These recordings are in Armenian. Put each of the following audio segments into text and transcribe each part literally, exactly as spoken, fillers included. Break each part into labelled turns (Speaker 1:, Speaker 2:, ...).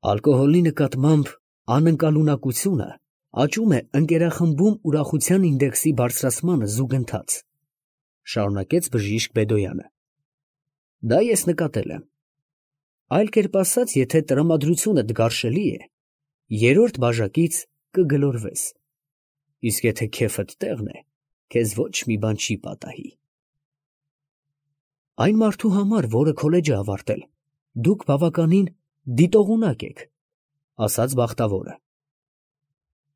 Speaker 1: Ալկոհոլի նկատմամբ անընկալունակությունը աճում է ընկերախմբում ուրախության ինդեքսի բարձրացմանը զուգընթաց, շարունակեց բժիշկ Բեդոյանը. դա ես նկատել եմ. այլ կերպ ասած, եթե տրամադրությունդ գարշելի է, երրորդ բաժակից կգլորվես, իսկ եթե քեֆդ տեղն է, քեզ ոչ մի բան չի պատահի։ Այն մարդու համար, որը քոլեջ է ավարտել, դուք բավականին դիտողունակ եք, ասաց բախտավորը։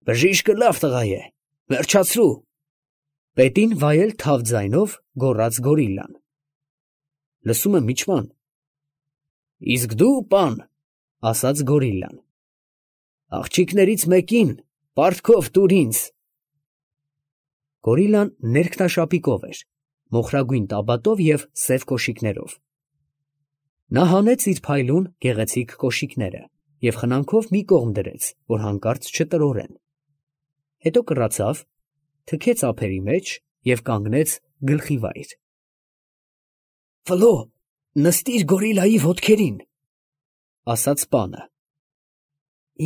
Speaker 1: Բժիշկը լավ տղա է, վերջացրու, պետին վայել թավ ձայնով գոռաց գորիլլան։ Լսում եմ միջման։ Իսկ դու, պան, ասաց գորիլլան, աղջիկներից մեկին պարտքով տուր ինձ։ Գորիլլան ներքնաշապիկով էր, մոխրագույն տաբատով և սև կոշիկներով։ Նա հանեց իր փայլուն գեղեցիկ կոշիկները և խնամքով մի կողմ դրեց, որ հանկարծ չտրորեն։ Հետո կռացավ, թքեց ափերի մեջ և կանգնեց գլխի վայր։ Ֆլո, նստիր գորիլայի ոտքերին, ասաց պանը։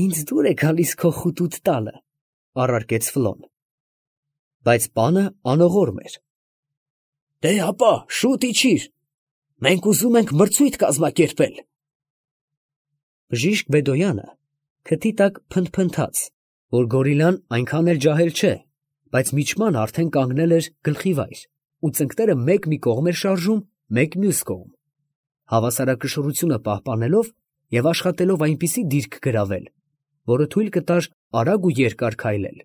Speaker 1: Ինձ դուր է գալիս քո խուտուտ տալը, առարկեց Ֆլոն։ Բայց պանը անողորմ էր։ Դե ապա, շուտ իջիր, մենք ուզում ենք մրցույթ կազմակերպել։ Բժիշկ Բեդոյանը քթի տակ փնթփնթաց, որ գորիլլան այնքան էլ ջահել չէ, բայց միջման արդեն կանգնել էր գլխի վայր ու ծնկները մեկ մի կողմ էր շարժում, մեկ մյուս կողմ, հավասարակշռությունը պահպանելով և աշխատելով այնպիսի դիրք գրավել, որը թույլ կտար արագ ու երկար քայլել։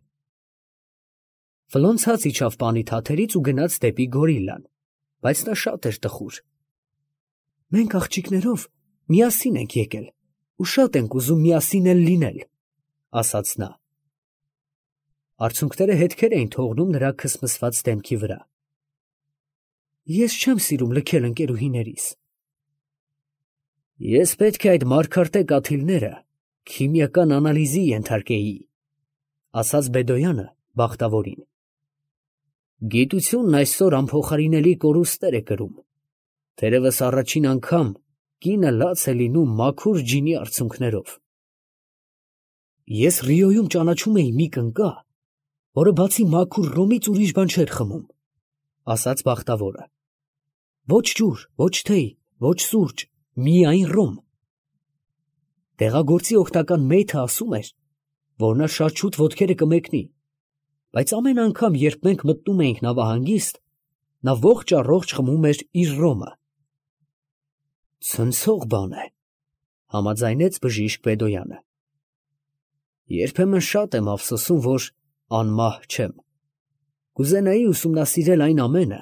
Speaker 1: Ֆլոն ցած իջավ պանի թաթերից ու գնաց դեպի գորիլլան, բայց նա շատ էր տխուր։ Մենք աղջիկներով միասին ենք եկել ու շատ ենք ուզում միասին էլ լինել, ասաց նա։ Արցունքները հետքեր էին թողնում նրա քսմսված դեմքի վրա։ Ես չեմ սիրում լքել ընկերուհիներիս։ Ես պետք է այդ մարգարտե կաթիլները քիմիական անալիզի ենթարկեի, ասաց Բեդոյանը բախտավորին։ Գիտությունն այսօր անփոխարինելի կորուստներ է կրում, թերևս առաջին անգամ կինը լաց է լինում մաքուր ջինի արցունքներով։ Ես Ռիոյում ճանաչում էի մի կնկա, որը բացի մաքուր ռոմից ուրիշ բան չէր խմում, ասաց բախտավորը։ Ոչ ջուր, ոչ թեյ, ոչ սուրճ, միայն ռոմ։ Տեղագործի օգնական մեյթը ասում էր, որ նա շատ շուտ ոտքերը կմեկնի, բայց ամեն անգամ, երբ մենք մտնում էինք նավահանգիստ, նա ողջ առողջ խմում էր իր ռոմը։ Ցնցող բան է, համաձայնեց բժիշկ Բեդոյանը։ Երբեմն շատ եմ ափսոսում, որ անմահ չեմ։ Կուզենայի ուսումնասիրել այն ամենը,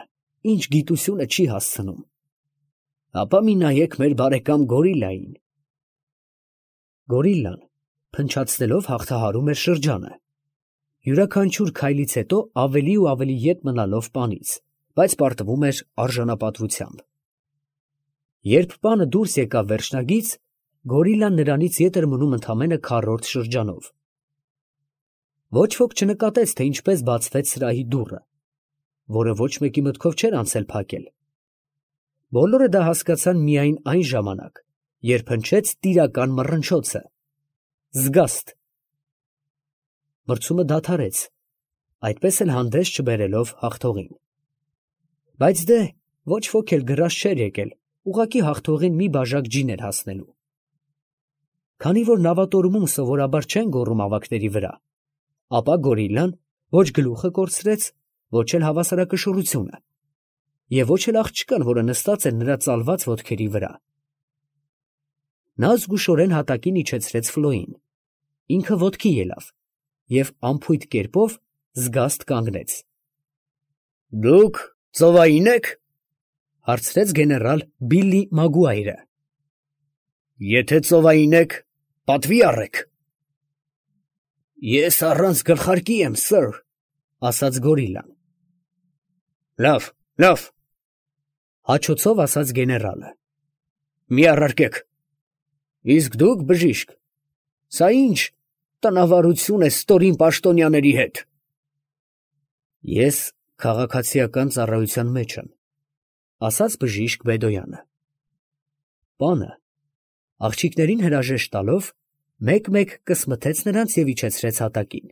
Speaker 1: ինչ գիտությունը չի հասցնում։ Ապա մի նայեք մեր բարեկամ գորիլլային։ Գորիլլան փնչացնելով հաղթահարում էր շրջանը, յուրաքանչյուր քայլից հետո ավելի ու ավելի ետ մնալով պանից, բայց պարտվում էր արժանապատվությամբ։ Երբ պանը դուրս եկավ վերջնագից, գորիլլան նրանից ետ էր մնում ընդամենը քառորդ շրջանով։ Ոչ ոք չնկատեց, թե ինչպես բացվեց սրահի դուռը, որը ոչ մեկի մտքով չէր անցել փակել։ Բոլորը դա հասկացան միայն այն ժամանակ, երբ հնչեց տիրական մռնչոցը. զգաստ։ Մրցումը դադարեց, այդպես էլ հանդես չբերելով հաղթողին։ Բայց դե, ոչ ոք էլ գրած չէր եկել, ուղղակի հաղթողին մի բաժակ ջին էր հասնելու։ Քանի որ նավատորմում սովորաբար չեն գոռում ավագների վրա, ապա գորիլլան ոչ գլուխը կորցրեց, ոչ էլ հավասարակշռությունը, և ոչ էլ աղջկան, որը նստած էր նրա ծալված ոտքերի վրա։ Նա զգուշորեն հատակին իջեցրեց Ֆլոյին, ինքը ոտքի ելավ և անփույթ կերպով զգաստ կանգնեց։ Դուք ծովային եք, հարցրեց գեներալ Բիլլի Մագուայրը։ Եթե ծովային եք, պատվի առեք։ Ես առանց գլխարկի եմ, սըր, ասաց գորիլլան։ Լավ, լավ, հաչոցով ասաց գեներալը։ Մի առարկեք։ Իսկ դուք, բժիշկ, սա ինչ տնավարություն է ստորին պաշտոնյաների հետ։ Ես քաղաքացիական ծառայության մեջ եմ, ասաց բժիշկ Բեդոյանը։ Պանը, աղջիկներին հրաժեշտ տալով, մեկ-մեկ կսմթեց նրանց և իջեցրեց հատակին։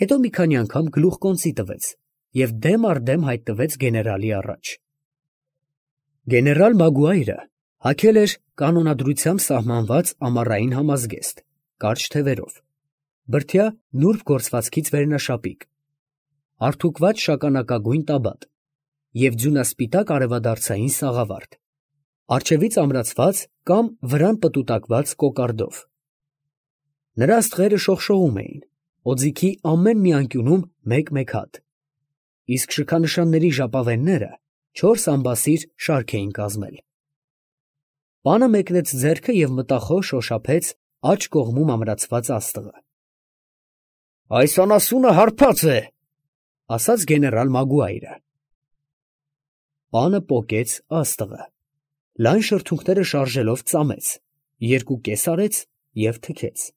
Speaker 1: Հետո մի քանի անգամ գլուխկոնծի տվեց և դեմ առ դեմ հայտնվեց գեներալի առաջ։ Գեներալ Մագուայրը հագել էր կանոնադրությամբ սահմանված ամառային համազգեստ, կարճ թևերով, բրդյա նուրբ գործվածքից վերնաշապիկ, արթուկված շագանակագույն տաբատ և ձյունասպիտակ արևադարձային սաղավարտ, առջևից ամրացված կամ վրան պտուտակված կոկարդով։ Նրա աստղերը շողշողում էին, օձիքի ամեն մի անկյունում մեկ-մեկ հատ, իսկ շքանշանների ժապավենները չորս ամբասիր շարք էին կազմել։ Պանը մեկնեց ձեռքը և մտախոհ շոշափեց աջ կողմում ամրացված աստղը։ «Այս անասունը հարբած է», ֊ ասաց գեներալ Մագուայրը։ Պանը պոկեց աստղը, լայն շրթունքները շարժելով ծամեց, երկու կես արեց և թքեց։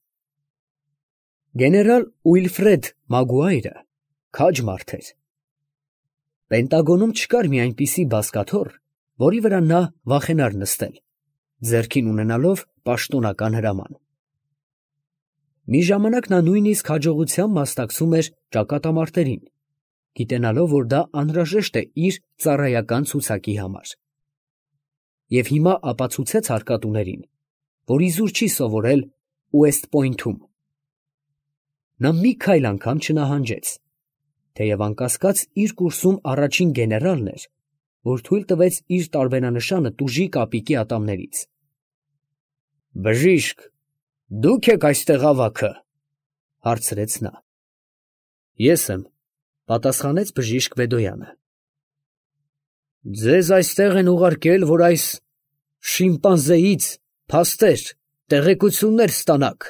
Speaker 1: Գեներալ Ուիլֆրեդ Մագուայրը քաջ մարդ էր։ Պենտագոնում չկար մի այնպիսի բազկաթոռ, որի վրա նա վախենար նստել, ձեռքին ունենալով պաշտոնական հրաման։ Մի ժամանակ նա նույնիսկ հաջողությամբ մասնակցում էր ճակատամարտերին, գիտենալով, որ դա անհրաժեշտ է իր ծառայական ցուցակի համար։ Եվ հիմա ապացուցեց հարկատուներին, որ իզուր չի սովորել Ուեստ Պոյնթում։ Նա մի քայլ անգամ չնահանջեց, թեև անկասկած իր կուրսում առաջին գեներալն էր, որ թույլ տվեց իր տարբերանշանը տուժի կապիկի ատամներից։ ֊ Բժիշկ, դուք եք այստեղ ավագը, ֊ հարցրեց նա։ ֊ Ես եմ, ֊ պատասխանեց բժիշկ Բեդոյանը։ ֊ Ձեզ այստեղ են ուղարկել, որ այս շիմպանզեից փաստեր, տեղեկություններ ստանաք,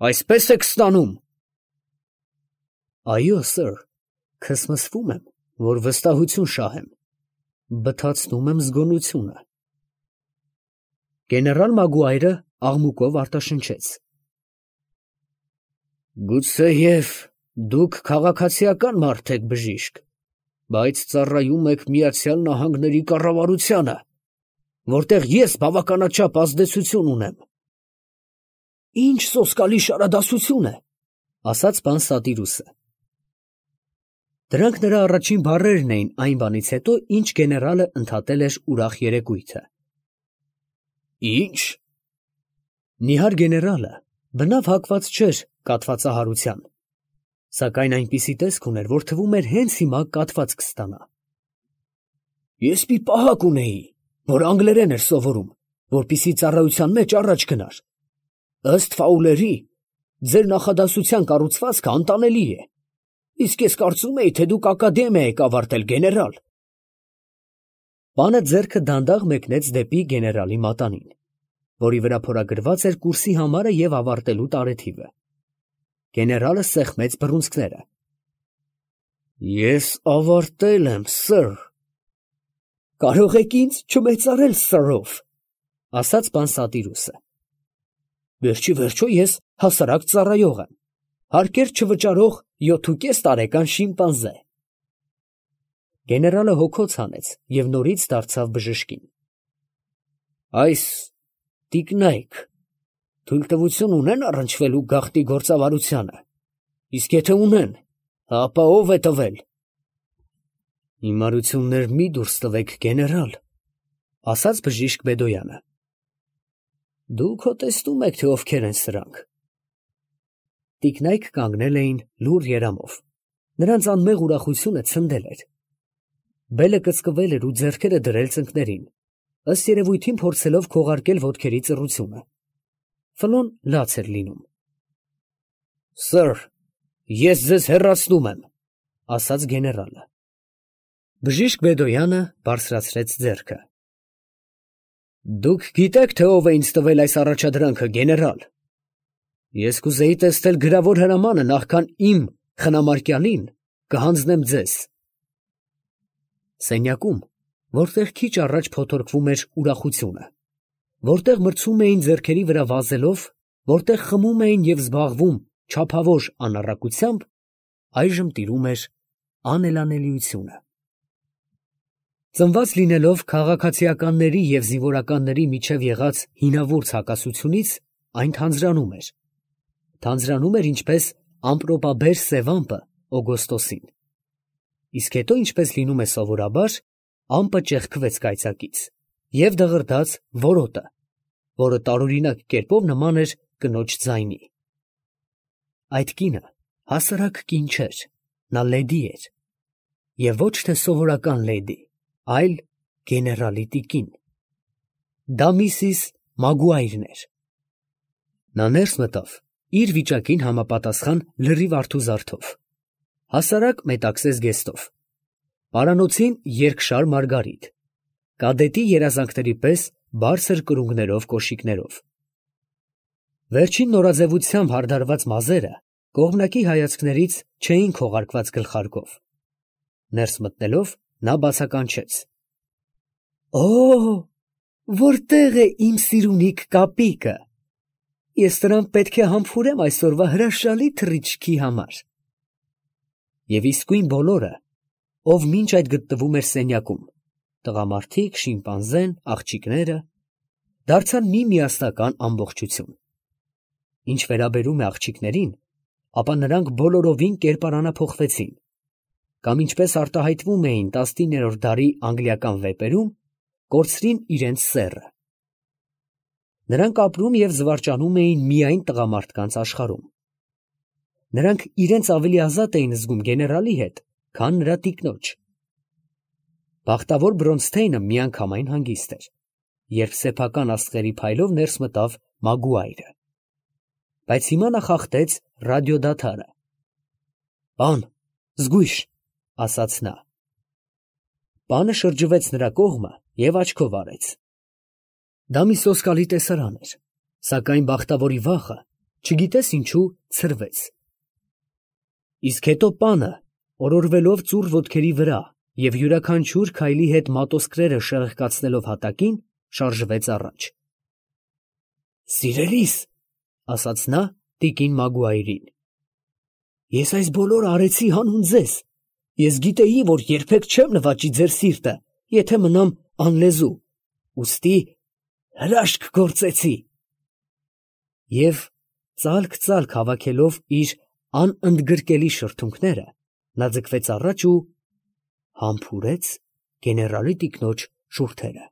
Speaker 1: այսպես եք ստանում։ ֊ Այո, սըր, քսմսվում եմ, որ վստահություն շահեմ, բթացնում եմ զգոնությունը։ Գեներալ Մագուայրը աղմուկով արտաշնչեց. Գուցեև դուք քաղաքացիական մարդ եք, բժիշկ, բայց ծառայում եք Միացյալ Նահանգների կառավարությանը, որտեղ ես բավականաչափ ազդեցություն ունեմ։ ֊ Ինչ սոսկալի շարադասություն է, ֊ ասաց պան Սատիրուսը։ Դրանք նրա առաջին բառերն էին այն բանից հետո, ինչ գեներալը ընդհատել էր ուրախ երեկույթը։ Ի՞նչ։ Նիհար գեներալը բնավ հակված չէր կաթվածահարության, սակայն այնպիսի տեսք ուներ, որ թվում էր հենց հիմա կաթված կստանա։ Ես մի պահակ ունեի, որ անգլերեն էր սովորում, որպեսզի ծառայության մեջ առաջ գնար։ Ըստ Ֆաուլերի, ձեր նախադասության կառուցվածքը անտանելի է, իսկ ես կարծում էի, թե դուք ակադեմիա եք ավարտել, գեներալ։ Պանը ձեռքը դանդաղ մեկնեց դեպի գեներալի մատանին, որի վրա փորագրված էր կուրսի համարը և ավարտելու տարեթիվը։ Գեներալը սեղմեց բռունցքները։ Ես ավարտել եմ, սըր։ Կարող եք ինձ չմեծարել սըրով, ասաց պան Սատիրուսը։ Վերջի վերջո ես հասարակ ծառայող եմ, հարկեր չվճարող յոթուկես տարեկան շիմպանզե։ Գեներալը հոգոց հանեց և նորից դարձավ բժշկին։ Այս տիկնայք թույլտվություն ունեն առնչվելու գաղտնի գործավարությանը, իսկ եթե ունեն, ապա ով է տվել։ Հիմարություններ մի դուրս տվեք, գեներալ, ասաց բժիշկ Բեդոյանը։ Դուք հոտեստում եք, թե ովքեր են սրանք։ Տիկնայք կանգնել էին լուռ երամով, նրանց անմեղ ուրախությունը ցնդել էր։ Բելը կծկվել էր ու ձեռքերը դրել ծնկներին, ըստ երևույթին փորձելով քողարկել ոտքերի ծռությունը։ Ֆլոն լաց էր լինում։ Սըր, ես ձեզ հեռացնում եմ, ասաց գեներալը։ Բժիշկ Բեդոյանը բարձրացրեց ձեռքը։ Դուք գիտեք, թե ով է ինձ տվել այս առաջադրանքը, գեներալ։ Ես կուզեի տեսնել գրավոր հրամանը, նախքան իմ խնամարկյալին կհանձնեմ ձեզ։ Սենյակում, որտեղ քիչ առաջ փոթորկվում էր ուրախությունը, որտեղ մրցում էին ձեռքերի վրա վազելով, որտեղ խմում էին և զբաղվում չափավոր անառակությամբ, այժմ տիրում էր անելանելիությունը։ Ծնված լինելով քաղաքացիականների և զինվորականների միջև եղած հինավուրց հակասությունից, այն թանձրանում էր, թանձրանում էր ինչպես ամպրոպաբեր սև ամպը օգոստոսին, իսկ հետո ինչպես լինում է սովորաբար, ամպը ճեղքվեց կայծակից և դղրդաց որոտը, որը տարօրինակ կերպով նման էր կնոջ ձայնի։ Այդ կինը հասարակ կին չէր, նա լեդի էր, և ոչ թե սովորական լեդի, այլ գեներալի տիկին։ Դա միսիս Մագուայրն էր։ Նա ներս մտավ իր վիճակին համապատասխան լրիվ արթուզարդով, հասարակ մետաքսես զգեստով, պարանոցին երկշար մարգարիտ, կադետի երազանքների պես բարձր կրունկներով կոշիկներով։ Վերջին նորաձևությամբ հարդարված մազերը կողմնակի հայացքներից չէին քողարկված գլխարկով։ Ներս մտնելով նա բացականչեց. «Օ՜, որտե՞ղ է իմ սիրունիք կապիկը, ես նրան պետք է համբուրեմ այսօրվա հրաշալի թռիչքի համար»։ Եվ իսկույն բոլորը, ով մինչ այդ գտնվում էր սենյակում, տղամարդիկ, շիմպանզեն, աղջիկները, դարձան մի միասնական ամբողջություն։ Ինչ վերաբերում է աղջիկներին, ապա նրանք բոլորովին կերպարանափոխվեցին, կամ ինչպես արտահայտվում էին տասնիններորդ դարի անգլիական վեպերում, կորցրին իրենց սեռը։ Նրանք ապրում և զվարճանում էին միայն տղամարդկանց աշխարհում։ Նրանք իրենց ավելի ազատ էին զգում գեներալի հետ, քան նրա տիկնոջ։ Բախտավոր Բրոնսթեյնը միանգամայն հանգիստ էր, երբ սեփական աստղերի փայլով ներս մտավ Մագուայրը։ Բայց հիմա նա խախտեց ռադիոդադարը։ «Պան, զգույշ», ասաց նա։ Պանը շրջվեց նրա կողմը և աչքով արեց։ Դա մի սոսկալի տեսարան էր, սակայն բախտավորի վախը, չգիտես ինչու, ցրվեց։ Իսկ հետո պանը, օրորվելով ծուռ ոտքերի վրա և յուրաքանչյուր քայլի հետ մատոսկրերը շեղկացնելով հատակին, շարժվեց առաջ։ «Սիրելիս», ասաց նա տիկին Մագուայրին, «ես այս բոլորը արեցի հանուն ձեզ, ես գիտեի, որ երբեք չեմ նվաճի ձեր սիրտը, եթե մնամ անլեզու, ուստի հրաշք գործեցի»։ Եվ ծալք-ծալք հավաքելով իր անընդգրկելի շրթունքները, նա ձգվեց առաջ ու համբուրեց գեներալի տիկնոջ շուրթերը։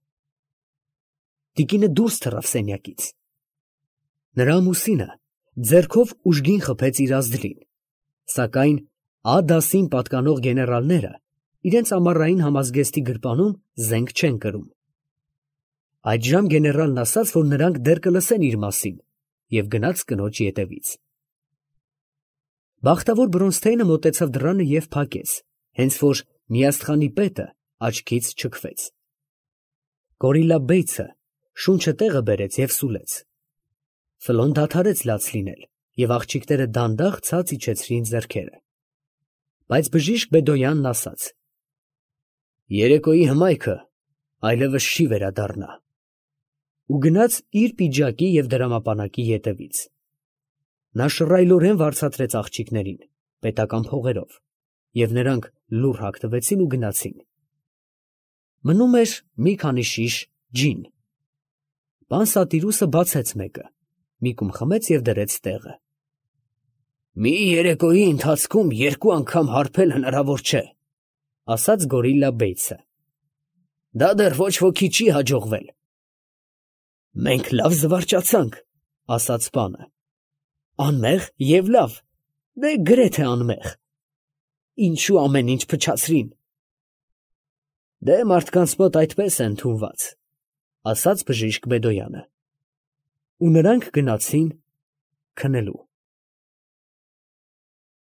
Speaker 1: Տիկինը դուրս թռավ սենյակից։ Նրա ամուսինը ձեռքով ուժգին խփեց իր ազդլին, սակայն Ա դասին պատկանող գեներալները իրենց ամառային համազգեստի գրպանում զենք չեն կրում։ Այդժամ գեներալն ասաց, որ նրանք դեռ կլսեն իր մասին, և գնաց կնոջ ետևից։ Բախտավոր Բրոնսթեյնը մոտեցավ դռանը և փակեց, հենց որ միաստղանի պետը աչքից չքվեց։ Գորիլլա Բեյցը շունչը տեղը բերեց և սուլեց։ Ֆլոն դադարեց լաց լինել, և աղջիկները դանդաղ ցած իջեցրին ձեռքերը։ Բայց բժիշկ Բեդոյանն ասաց. «Երեկոյի հմայքը այլևս չի վերադառնա», ու գնաց իր պիջակի և դրամապանակի ետևից։ Նա շռայլորեն վարձատրեց աղջիկներին պետական փողերով, և նրանք լուռ հագնվեցին ու գնացին։ Մնում էր մի քանի շիշ ջին։ Պան Սատիրուսը բացեց մեկը, մի կում խմեց և դրեց տեղը։ «Մի երեկոյի ընթացքում երկու անգամ հարբել հնարավոր չէ», ասաց Գորիլլա Բեյցը։ «Դա դեռ ոչ ոքի չի հաջողվել»։ «Մենք լավ զվարճացանք», ասաց պանը։ «Անմեղ և լավ, դե գրեթե անմեղ։ Ինչու ամեն ինչ փչացրին»։ «Դե մարդկանց մոտ այդպես է ընդունված», ասաց բժիշկ Բեդոյանը։ Ու նրանք գնացին քնելու։